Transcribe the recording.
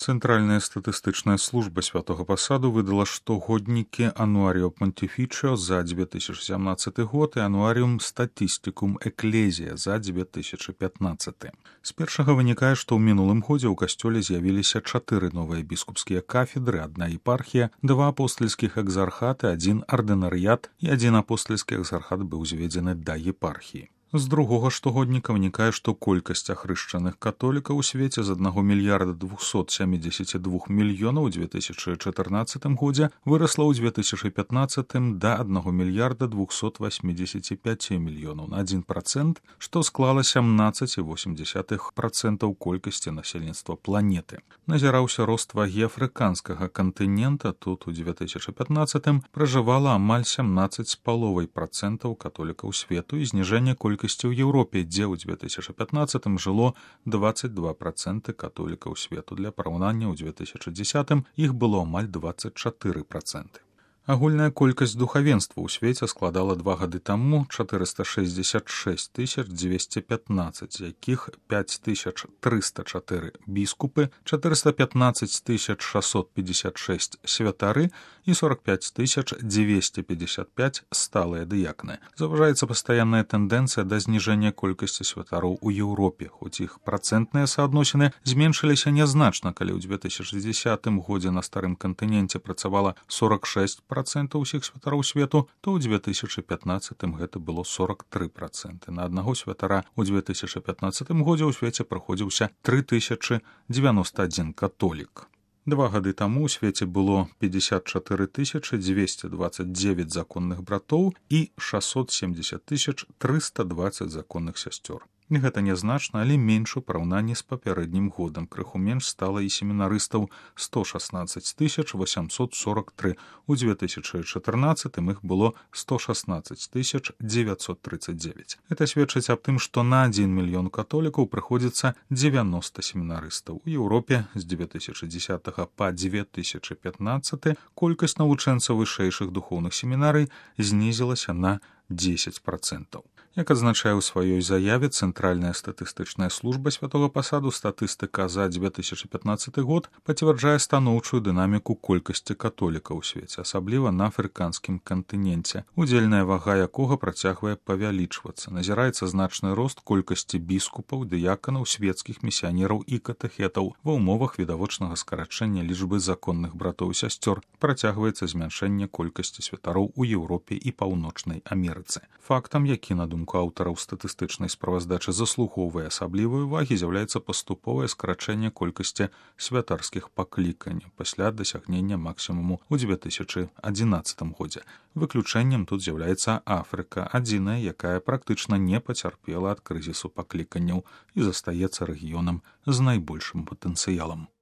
Цэнтральная статыстычная служба святого пасаду выдала штогоднікі Ануаріо Понтифічіо за 2017 год і Ануаріум Статистикум Экклезія за 2015. З першага вынікае, што ў мінулым годзе ў касцёле з'явіліся 4 новыя біскупскія кафедры, 1 епархія, 2 апостальскіх экзархаты, 1 ардынарыят і 1 апостальскі экзархат быў зведзены да епархіі. З другога штогодніка вынікае, што колькасць ахрышчаных католікаў у свеце з 1 мільярда 272 мільёнаў у 2014 годзе вырасла ў 2015 да 1 мільярда 285 мільёнаў на 1%, што склала 17,8% колькасці насельніцтва планеты. Назіраўся рост вагі афрыканскага кантынента, тут у 2015 пражывала амаль 17,5% католікаў свету і зніжэнне колькасці ў Еўропе, дзе ў 2015 жыло 22% католікаў свету. Для параўнання ў 2010 іх было амаль 24%. Агульная колькасць духавенства ў свеце складала 2 гады таму 466 215, з якіх 5304 біскупы, 415 656 святары і 45 255 сталыя дыякны. Заўважаецца пастаянная тэндэнцыя да зніжэння колькасці святароў у Еўропе, хоць іх працэнтныя суадносіны зменшыліся нязначна, калі ў 2010 годзе на старым кантыненце працавала 46% ўсіх святароў свету, то ў 2015 гэта было 43%. На аднаго святара ў 2015 годзе ў свеце прыходзіўся 3091 католік. 2 гады таму ў свеце было 54 229 законных братоў і 670 320 законных сясцёр. Гэта нязначна, але менш у параўнанні з папярэднім годам. Крыху менш стала і семінарыстаў 116 843. У 2014 іх было 116 939. Гэта сведчыць аб тым, што на 1 мільён католікаў прыходзіцца 90 семінарыстаў. У Еўропе з 2010 па 2015 колькасць навучэнцаў вышэйшых духоўных семінарый знізілася на 10%. Як адзначае ў сваёй заяве Цэнтральная статыстычная служба святого пасаду, статыстыка за 2015 год пацвярджае станоўчую дынаміку колькасці католікаў у свеце, асабліва на афрыканскім кантыненце, удзельная вага якога працягвае павялічвацца. Назіраецца значны рост колькасці біскупаў, дыяканаў, свецкіх місіянераў і катэхетаў. Ва ўмовах відавочнага скарачэння лічбы законных братоў і сясцёр працягваецца змяншэнне колькасці святароў у Еўропе і Паўночнай Амерыцы. Фактам, які, на думку аўтараў статыстычнай справаздачы, заслугоўвае асаблівай увагі, з'яўляецца паступовае скарачэнне колькасці святарскіх пакліканняў пасля дасягнення максімуму ў 2011 годзе. Выключэннем тут з'яўляецца Афрыка, адзіная, якая практычна не пацярпела ад крызісу пакліканняў і застаецца рэгіёнам з найбольшым патэнцыялам.